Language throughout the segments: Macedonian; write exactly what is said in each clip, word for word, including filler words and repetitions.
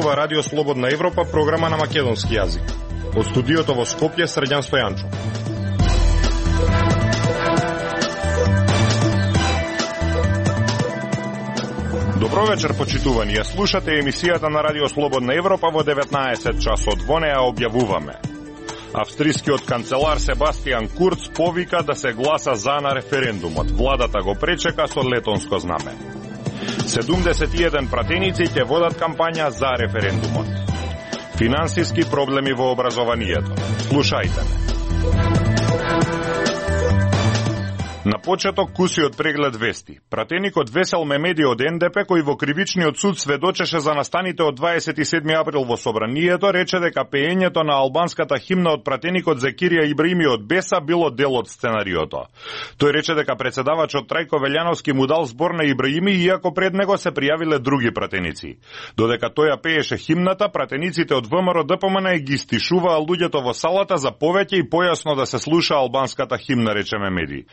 зборува Радио Слободна Европа, програма на македонски јазик. Од студиото во Скопје, Срđan Стојанчов. Добро вечер, почитувани. Ја слушате емисијата на Радио Слободна Европа во деветнаесет часот. Во неа објавуваме: австрискиот канцелар Себастијан Курц повика да се гласа за на референдумот. Владата го пречека со летонско знаме. седумдесет и еден пратеници ќе водат кампања за референдумот. Финансиски проблеми во образованието. Слушајте ме. На почеток кусиот преглед вести. Пратеникот Весел Мемеди од Ен Де Пе, кој во кривичниот суд сведочеше за настаните од дваесет и седми април во собранието, рече дека пеењето на албанската химна од пратеникот Зекирија Ибраими од Беса било дел од сценариото. Тој рече дека председавачот Трајко Велјановски му дал збор на Ибраими, иако пред него се пријавиле други пратеници. Додека тој ја пееше химната, пратениците од Вэ Ем Р Д П М Н ги стишуваа луѓето во салата за повеќе и појасно да се слуша албанската химна, рече Мемеди.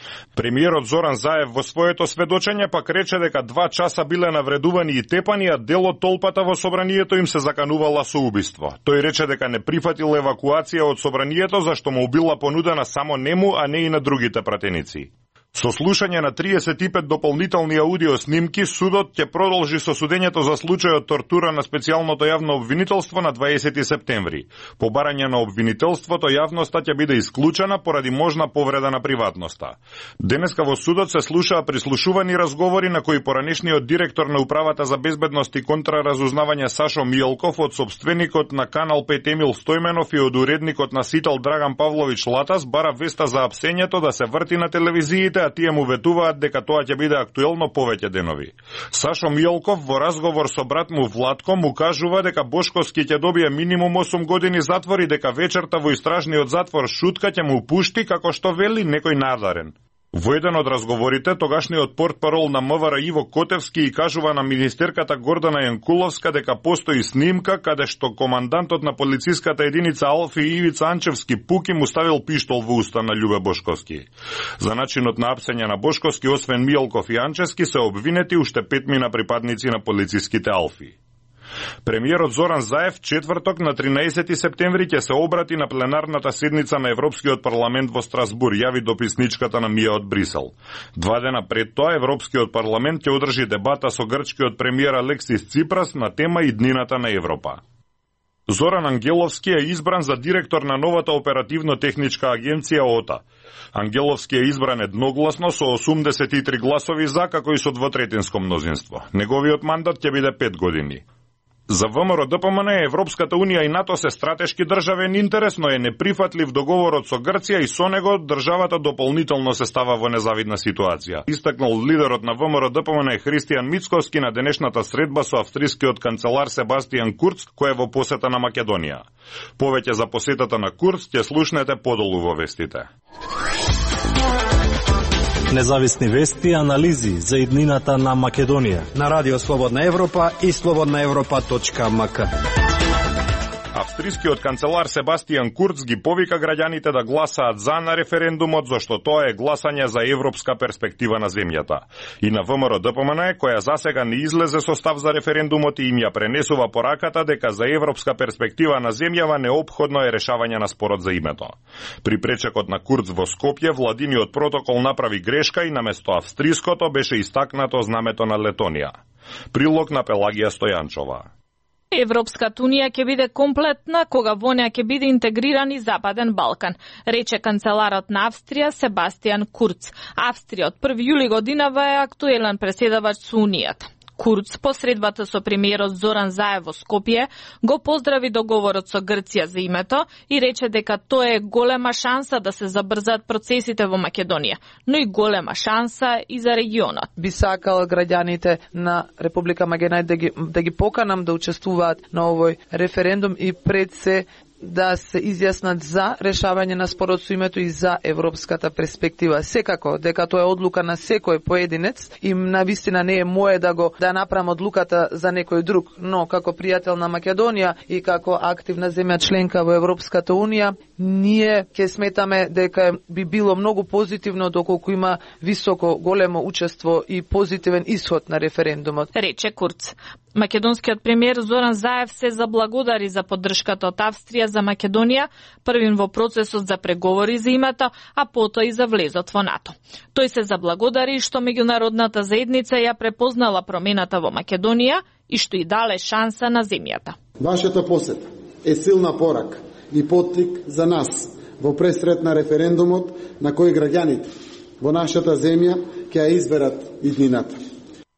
Премиерот Зоран Заев во своето сведочење пак рече дека два часа биле навредувани и тепани, а дел од толпата во собранието им се заканувала со убиство. Тој рече дека не прифатил евакуација од собранието, зашто му била понудена само нему, а не и на другите пратеници. Со слушање на триесет и пет дополнителни аудио снимки, судот ќе продолжи со судењето за случајот тортура на специјалното јавно обвинителство на дваесети септември. По барање на обвинителството, јавноста ќе биде исклучена поради можна повреда на приватноста. Денеска во судот се слушаа прислушувани разговори на кои поранешниот директор на Управата за безбедност и контраразузнавање Сашо Мијалков од собственикот на Канал пет Емил Стојменов и од уредникот на Сител Драган Павлович Латас бара веста за апсењето да се врти на телевизиите, а тие му ветуваат дека тоа ќе биде актуелно повеќе денови. Сашо Мијалков во разговор со брат му Владко му кажува дека Бошковски ќе добие минимум осум години затвор и дека вечерта во истражниот затвор Шутка ќе му пушти, како што вели, некој надарен. Во еден од разговорите, тогашниот портпарол на М В Р Иво Котевски и кажува на министерката Гордана Јанкуловска дека постои снимка каде што командантот на полициската единица Алфи Ивица Анчевски Пуки му ставил пиштол во уста на Љубе Бошковски. За начинот на апсење на Бошковски, освен Мијалков и Анчевски, се обвинети уште петмина припадници на полициските Алфи. Премиерот Зоран Заев четврток на тринаесети септември ќе се обрати на пленарната седница на Европскиот парламент во Страсбур, јави дописничката на Мија од Брисел. Два дена пред тоа Европскиот парламент ќе одржи дебата со грчкиот премиер Алексис Ципрас на тема иднината на Европа. Зоран Ангеловски е избран за директор на новата оперативно-техничка агенција ОТА. Ангеловски е избран едногласно со осумдесет и три гласови за, како и со двотретинско мнозинство. Неговиот мандат ќе биде пет години. За Вэ Ем Р Д П М Н, Европската Унија и НАТО се стратешки државен интерес, но е неприфатлив договорот со Грција и со него државата дополнително се става во незавидна ситуација. Истакнал лидерот на Вэ Ем Р Д П М Н Христијан Мицковски на денешната средба со австрискиот канцелар Себастијан Курц, кој е во посета на Македонија. Повеќе за посетата на Курц ќе слушнете подолу во вестите. Независни вести и анализи за иднината на Македонија на Радио Слободна Европа и слободна европа точка м к. Австрискиот канцелар Себастијан Курц ги повика граѓаните да гласаат за на референдумот, зашто тоа е гласање за европска перспектива на земјата. И на Вэ Ем Р Д П М Н, која засега не излезе со став за референдумот, и им ја пренесува пораката дека за европска перспектива на земјава неопходно е решавање на спорот за името. При пречекот на Курц во Скопје, владиниот протокол направи грешка и наместо австриското беше истакнато знамето на Летонија. Прилог на Пелагија Стојанчова. Европската унија ќе биде комплетна кога во неа ќе биде интегриран и Западен Балкан, рече канцеларот на Австрија Себастијан Курц. Австрија од први јули годинава е актуелен преседавач со Унијата. Курц по средбата со премиерот Зоран Заев во Скопје го поздрави договорот со Грција за името и рече дека тоа е голема шанса да се забрзаат процесите во Македонија, но и голема шанса и за регионот. Би сакал граѓаните на Република Македонија да ги, да ги поканам да учествуваат на овој референдум и пред се да се изјаснат за решавање на спорот со името и за европската перспектива. Секако дека тоа е одлука на секој поединец и навистина не е мое да го да направам одлуката за некој друг, но како пријател на Македонија и како активна земја членка во Европската унија ние ќе сметаме дека би било многу позитивно доколку има високо големо учество и позитивен исход на референдумот, рече Курц. Македонскиот премиер Зоран Заев се заблагодари за поддршката од Австрија за Македонија, првин во процесот за преговори за името, а потоа и за влезот во НАТО. Тој се заблагодари што меѓународната заедница ја препознала промената во Македонија и што и дале шанса на земјата. Вашата посета е силна порака и поттик за нас во пресрет на референдумот на кој граѓаните во нашата земја ќе ја изберат иднината.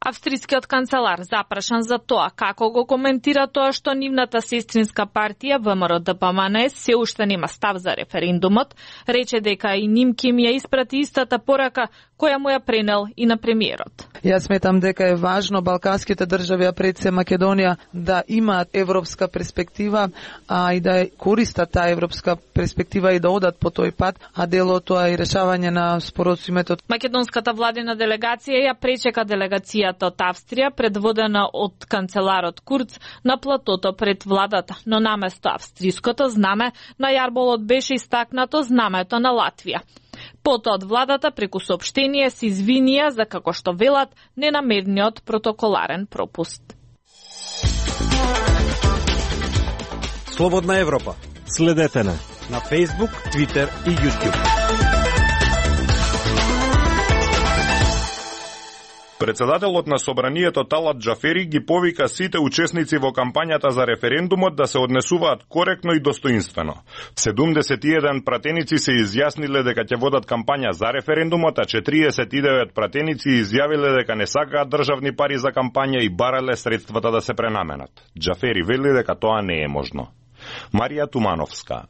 Австрискиот канцелар запрашан за тоа како го коментира тоа што нивната сестринска партија ВМРО-ДПМН се уште нема став за референдумот, рече дека и ним ќе им ја испрати истата порака која му ја пренел и на премиерот. Јас сметам дека е важно балканските држави, а пред се Македонија, да имаат европска перспектива, а и да користат таа европска перспектива и да одат по тој пат, а дело тоа е решавање на споразумето. Македонската владина делегација ја пречека делегацијата од Австрија, предводена од канцеларот Курц, на платото пред владата, но наместо австриското знаме на јарболот беше истакнато знамето на Латвија. Потоа од владата преку соопштение се извинија за, како што велат, ненамерниот протоколарен пропуст. Слободна Европа. Следете на на Facebook, Twitter и YouTube. Председателот на Собранието Талат Џафери ги повика сите учесници во кампањата за референдумот да се однесуваат коректно и достоинствено. седумдесет и еден пратеници се изјасниле дека ќе водат кампања за референдумот, а четириесет и девет пратеници изјавиле дека не сакаат државни пари за кампања и барале средствата да се пренаменат. Џафери вели дека тоа не е можно. Марија Тумановска.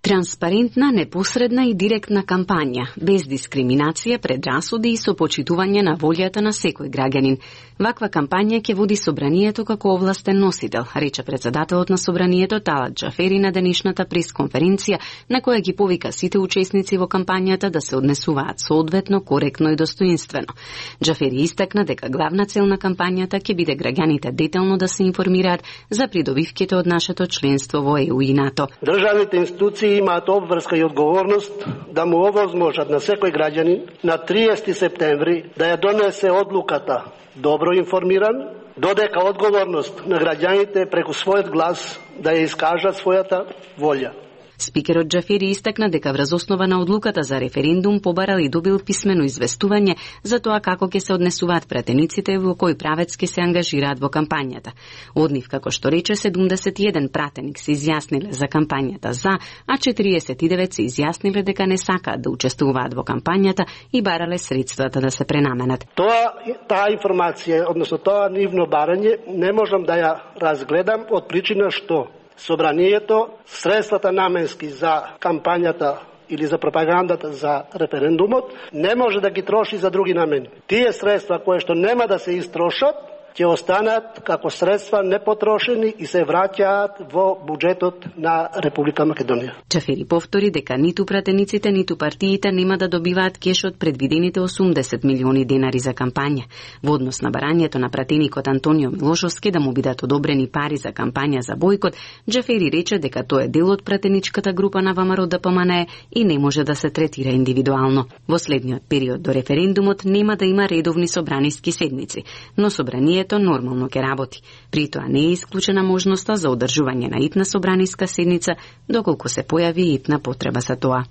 Транспарентна, непосредна и директна кампања, без дискриминација, предрасуди и со почитување на волјата на секој граѓанин. Ваква кампања ќе води Собранието како овластен носител, рече председателот на Собранието Талат Џафери на денешната пресконференција, на која ги повика сите учесници во кампањата да се однесуваат соодветно, коректно и достоинствено. Џафери истакна дека главна цел на кампањата ќе биде граѓаните детално да се информираат за придобивките од нашето членство во Е У и НАТО. Државните институции имаат обврска и одговорност да му овозможат на секој граѓанин на триесети септември да ја донесе одлуката добро информиран, додека одговорност на граѓаните преку својот глас да ја искажат својата волја. Спикерот Џафери истакна дека врз основа на одлуката за референдум побарал и добил писмено известување за тоа како ќе се однесуваат пратениците во кој правец ќе се ангажираат во кампањата. Од нив, како што рече, седумдесет и еден пратеник се изјасниле за кампањата за, а четириесет и девет се изјасниле дека не сакаат да учествуваат во кампањата и барале средствата да се пренаменат. Тоа, таа информација, односно тоа нивно барање, не можам да ја разгледам од причина што Собранието средствата наменски за кампањата или за пропагандата за референдумот не може да ги троши за други намени. Тие средства кои што нема да се истрошат ќе останат како средства непотрошени и се враќаат во буџетот на Република Македонија. Џафери повтори дека ниту пратениците, ниту партиите нема да добиваат кеш од предвидените осумдесет милиони денари за кампања. Во однос на барањето на пратеникот Антонио Милошовски да му бидат одобрени пари за кампања за бојкот, Џафери рече дека тоа е дел од пратеничката група на ВМРО-ДПМН и не може да се третира индивидуално. Во следниот период до референдумот нема да има редовни собраниски седници, но собранието нормално ќе работи. При тоа не е исклучена можноста за одржување на итна собраниска седница, доколку се појави итна потреба за тоа.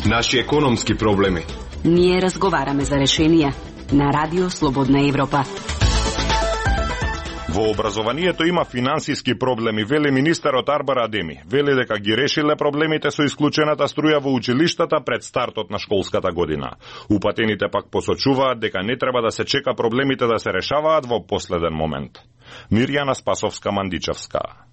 Наши економски проблеми. Ние разговараме за решенија на Радио Слободна Европа. Во образованието има финансиски проблеми, вели министерот Арбар Адеми. Вели дека ги решиле проблемите со исклучената струја во училиштата пред стартот на школската година. Упатените пак посочуваат дека не треба да се чека проблемите да се решаваат во последен момент. Мирјана Спасовска-Мандичевска.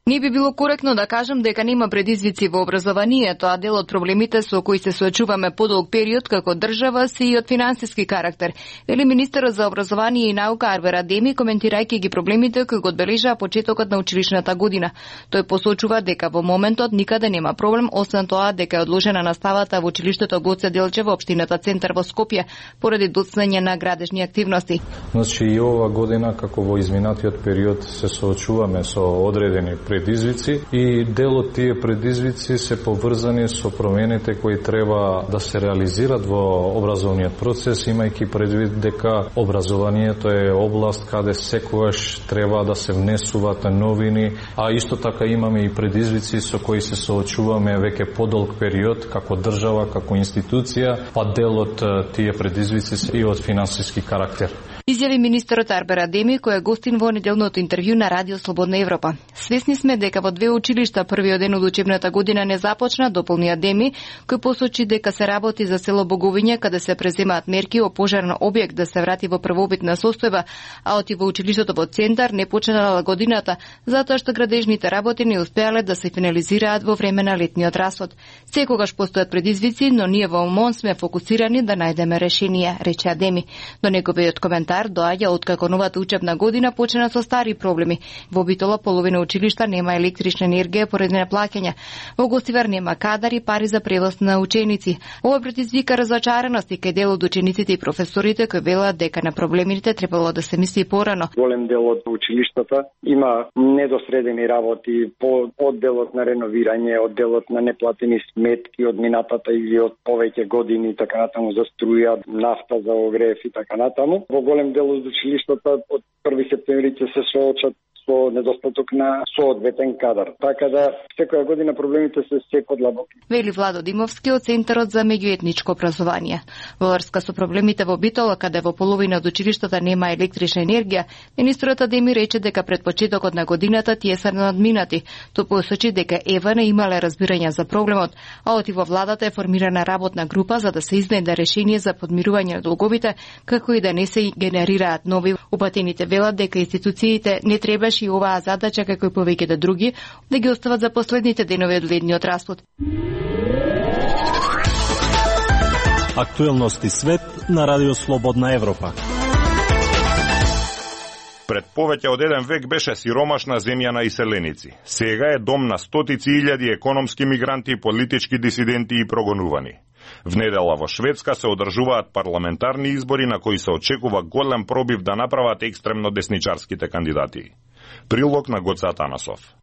Не би било коректно да кажам дека нема предизвици во образованието, а дел од проблемите со кои се соочуваме подолг период како држава се и од финансиски карактер, вели министерот за образование и наука Арбер Адеми, коментирајќи ги проблемите кои го одбележаа почетокот на училишната година. Тој посочува дека во моментот никаде нема проблем, освен тоа дека е одложена наставата во училиштето Гоце Делчев во општината Центар во Скопје поради доцнење на градежни активности. Значи и ова година како во изминатиот период се соочуваме со одредени предизвици и дел од тие предизвици се поврзани со промените кои треба да се реализират во образовниот процес, имајќи предвид дека образованието е област каде секогаш треба да се внесуваат новини, а исто така имаме и предизвици со кои се соочуваме веќе подолг период како држава, како институција, па дел од тие предизвици се и од финансиски карактер. Изјави министерот Арбер Адеми, кој е гостин во неделното интервју на Радио Слободна Европа. Свесни сме дека во две училишта првиот ден од учебната година не започна, дополни Адеми, кој посочи дека се работи за село Боговиње, каде се преземаат мерки о пожарен објект да се врати во првобитна состојба, а оти во училиштето во Центар не почнала годината, затоа што градежните работи не успеале да се финализираат во време на летниот расод. Секогаш постојат предизвици, но ние во МОН сме фокусирани да најдеме решенија, рече Адеми. До неговиот коментар доаѓа откако новата учебна година почна со стари проблеми. Во Битола половина училишта нема електрична енергија поради неплаќање. Во Гостивар нема кадар и пари за превоз на ученици. Ова предизвика разочареност и кај дел од учениците и професорите кои велат дека на проблемите требало да се мисли порано. Голем дел од училиштата има недосредени работи по одделот на реновирање, одделот на неплатени сметки од минатата или од повеќе години, така натаму за струја, нафта за огрев и така натаму. Во голем дел од училиштата од први септември ќе се соочат со недостаток на соодветен кадар. Така да секоја година проблемите се се подлабоки. Вели Владо Димовски од Центарот за меѓуетничко образование. Во врска со проблемите во Битола, каде во половина од училиштата нема електрична енергија, министерот Адеми рече дека пред почетокот на годината тие се надминати. Тој посочи дека ЕВА не имале разбирање за проблемот, а оти во владата е формирана работна група за да се изнеде решение за подмирување на долговите, како и да не се генерираат нови. Упатените велат дека институциите не требаше и оваа задача, како и повеќето други, да ги остават за последните денови од летниот распод. Актуелности свет на Радио Слободна Европа. Пред повеќе од еден век беше сиромашна земја на иселеници. Сега е дом на стотици илјади економски мигранти, политички дисиденти и прогонувани. В недела во Шведска се одржуваат парламентарни избори на кои се очекува голем пробив да направат екстремно десничарските кандидати. Прилог на Гоце Атанасов.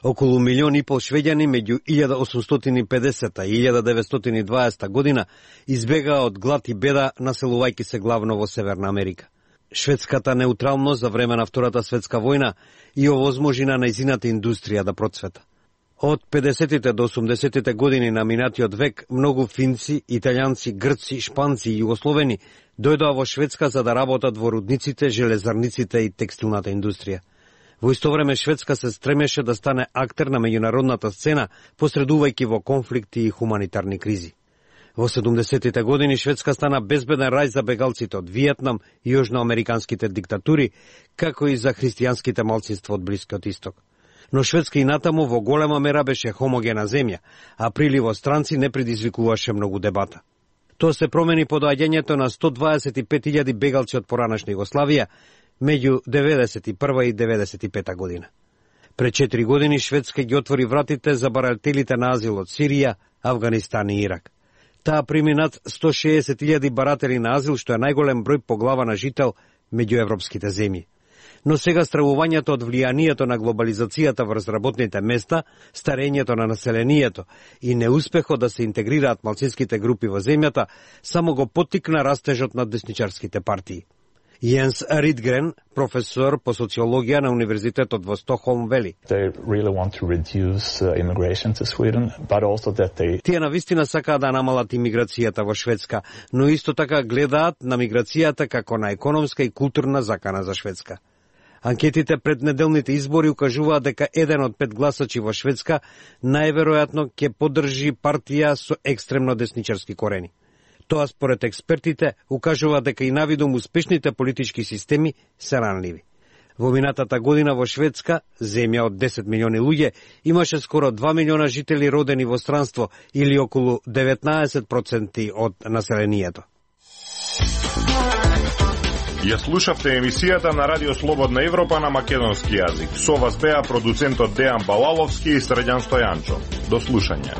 Околу милион и пол швеѓани меѓу илјада осумстотини и педесета и илјада деветстотини и дваесета година избегаа од глад и беда, населувајќи се главно во Северна Америка. Шведската неутралност за време на Втората светска војна и овозможи на нејзината индустрија да процвета. Од педесетите до осумдесетите години на минатиот век многу финци, италијанци, грци, шпанци и југословени дојдоа во Шведска за да работат во рудниците, железарниците и текстилната индустрија. Во исто време Шведска се стремеше да стане актер на меѓународната сцена, посредувајќи во конфликти и хуманитарни кризи. Во седумдесетите години Шведска стана безбеден рај за бегалците од Виетнам и јужноамериканските диктатури, како и за христијанските малцинства од Блискиот Исток. Но Шведска и натаму во голема мера беше хомогена земја, а приливот странци не предизвикуваше многу дебата. Тоа се промени по доаѓањето на сто дваесет и пет илјади бегалци од поранешна Југославија меѓу деветдесет и прва и деветдесет и пета година. Пред четири години Шведска ги отвори вратите за барателите на азил од Сирија, Авганистан и Ирак. Таа прими над сто шеесет илјади баратели на азил, што е најголем број по глава на жител меѓу европските земји. Но сега стравувањето од влијанието на глобализацијата врз работните места, старењето на населението и неуспехот да се интегрираат малцинските групи во земјата, само го поттикна растежот на десничарските партии. Јенс Ридгрен, професор по социологија на Универзитетот во Стокхолм, вели: Тие навистина сакаат да намалат имиграцијата во Шведска, но исто така гледаат на миграцијата како на економска и културна закана за Шведска. Анкетите пред неделните избори укажуваат дека еден од пет гласачи во Шведска најверојатно ќе поддржи партија со екстремно десничарски корени. Тоа според експертите укажува дека и навидом успешните политички системи се ранливи. Во минатата година во Шведска, земја од десет милиони луѓе, имаше скоро два милиона жители родени во странство или околу деветнаесет проценти од населението. Ја слушавте емисијата на Радио Слободна Европа на македонски јазик. Со вас беа продуцентот Дејан Балаловски и Средјан Стојанчо. До слушање.